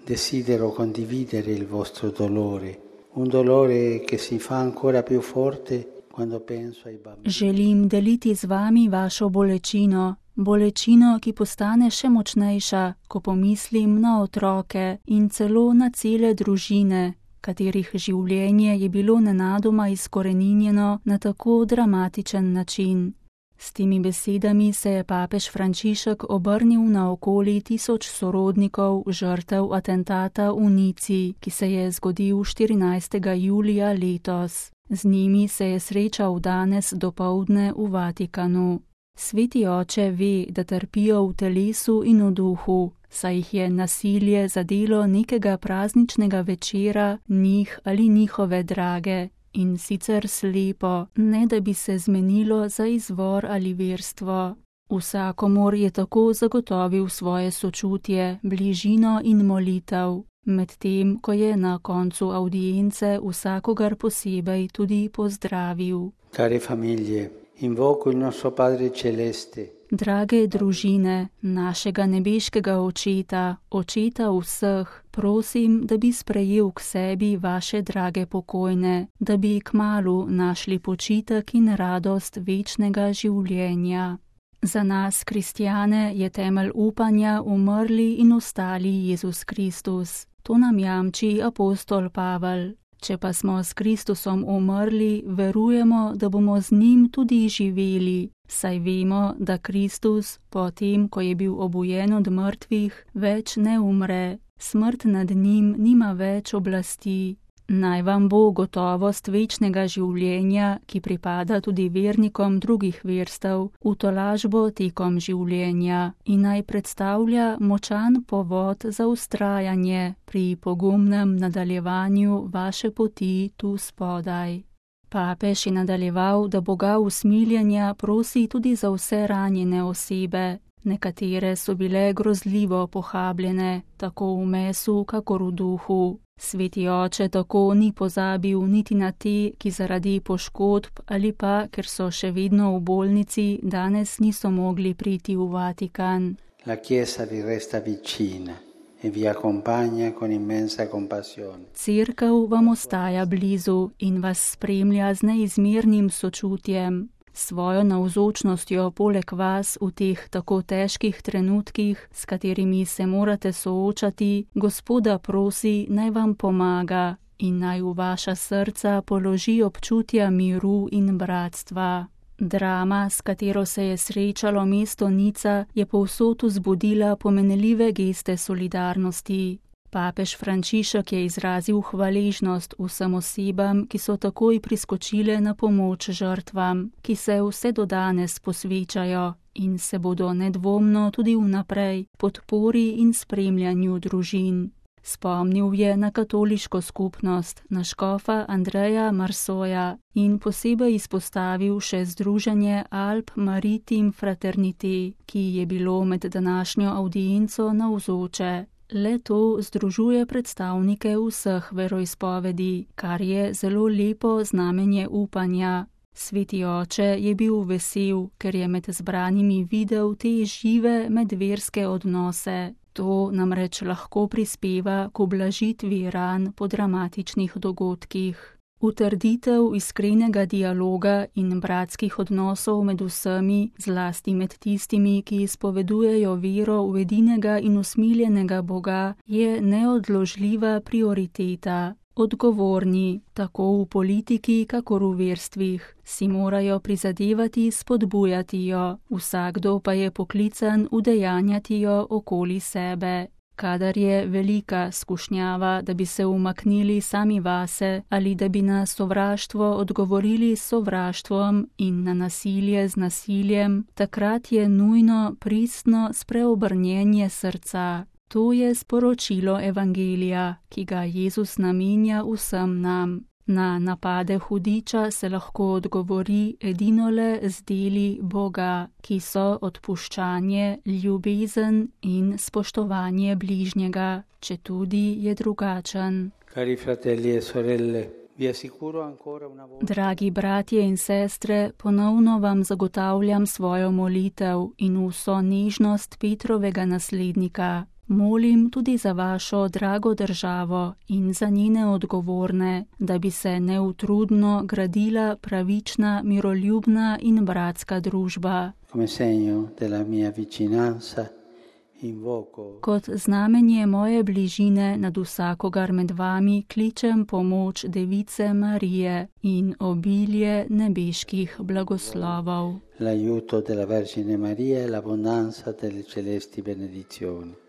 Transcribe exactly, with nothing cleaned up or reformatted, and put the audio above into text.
desidero condividere il vostro dolore, un dolore che si fa ancora più forte quando penso ai bambini. Želim deliti z vami vašo bolečino, bolečino, ki postane še močnejša, ko pomislim na otroke in celo na cele družine, katerih življenje je bilo nenadoma izkoreninjeno na tako dramatičen način. S temi besedami se je papež Frančišek obrnil na okoli tisoč sorodnikov žrtev atentata v Nici, ki se je zgodil štirinajstega julija letos. Z njimi se je srečal danes dopoldne v Vatikanu. Sveti oče ve, da trpijo v telesu in v duhu, saj jih je nasilje zadelo nekega prazničnega večera njih ali njihove drage, in sicer slepo, ne da bi se zmenilo za izvor ali verstvo. Vsakomur je tako zagotovil svoje sočutje, bližino in molitev, medtem ko je na koncu avdience vsakogar posebej tudi pozdravil. Care famiglie, invoco il nostro Padre Celeste. Drage družine, našega nebeškega očeta, očeta vseh, prosim, da bi sprejel k sebi vaše drage pokojne, da bi kmalu našli počitek in radost večnega življenja. Za nas, kristjane, je temelj upanja umrli in ostali Jezus Kristus. To nam jamči apostol Pavel. Če pa smo s Kristusom umrli, verujemo, da bomo z njim tudi živeli, saj vemo, da Kristus, potem, ko je bil obujen od mrtvih, več ne umre. Smrt nad njim nima več oblasti. Naj vam bo gotovost večnega življenja, ki pripada tudi vernikom drugih verstev, v tolažbo tekom življenja in naj predstavlja močan povod za vztrajanje pri pogumnem nadaljevanju vaše poti tu spodaj. Papež je nadaljeval, da Boga usmiljenja prosi tudi za vse ranjene osebe. Nekatere so bile grozljivo pohabljene, tako v mesu, kakor v duhu. Sveti oče tako ni pozabil niti na te, ki zaradi poškodb ali pa, ker so še vedno v bolnici, danes niso mogli priti v Vatikan. La Chiesa vi resta vicina e vi accompagna con immensa compassione. Cerkev vam ostaja blizu in vas spremlja z neizmernim sočutjem. Svojo navzočnostjo poleg vas v teh tako težkih trenutkih, s katerimi se morate soočati, Gospoda prosi, naj vam pomaga in naj v vaša srca položi občutja miru in bratstva. Drama, s katero se je srečalo mesto Nica, je povsod vzbudila pomenljive geste solidarnosti. Papež Frančišek je izrazil hvaležnost vsem osebam, ki so takoj priskočile na pomoč žrtvam, ki se vse do danes posvečajo in se bodo nedvomno tudi vnaprej podpori in spremljanju družin. Spomnil je na katoliško skupnost, na škofa Andreja Marsoja in posebej izpostavil še združenje Alp Maritim Fraternité, ki je bilo med današnjo avdienco navzoče. Le to združuje predstavnike vseh veroizpovedi, kar je zelo lepo znamenje upanja. Sveti oče je bil vesel, ker je med zbranimi videl te žive medverske odnose. To namreč lahko prispeva k ublažitvi ran po dramatičnih dogodkih. Utrditev iskrenega dialoga in bratskih odnosov med vsemi, zlasti med tistimi, ki izpovedujejo vero v edinega in usmiljenega Boga, je neodložljiva prioriteta. Odgovorni, tako v politiki, kakor v verstvih, si morajo prizadevati spodbujati jo, vsakdo pa je poklican udejanjati jo okoli sebe. Kadar je velika skušnjava, da bi se umaknili sami vase ali da bi na sovraštvo odgovorili s sovraštvom in na nasilje z nasiljem, takrat je nujno pristno spreobrnjenje srca. To je sporočilo Evangelija, ki ga Jezus namenja vsem nam. Na napade hudiča se lahko odgovori edinole z deli Boga, ki so odpuščanje, ljubezen in spoštovanje bližnjega, četudi je drugačen. Cari fratelli e sorelle, vi assicuro ancora una volta. Dragi bratje in sestre, ponovno vam zagotavljam svojo molitev in vso nežnost Petrovega naslednika. Molim tudi za vašo drago državo in za njene odgovorne, da bi se neutrudno gradila pravična, miroljubna in bratska družba. Come segno della mia vicinanza, invoco Kot znamenje moje bližine nad vsakogar med vami kličem pomoč Device Marije in obilje nebeških blagoslovov. l'aiuto della Vergine Maria e l'abbondanza delle celesti benedizioni.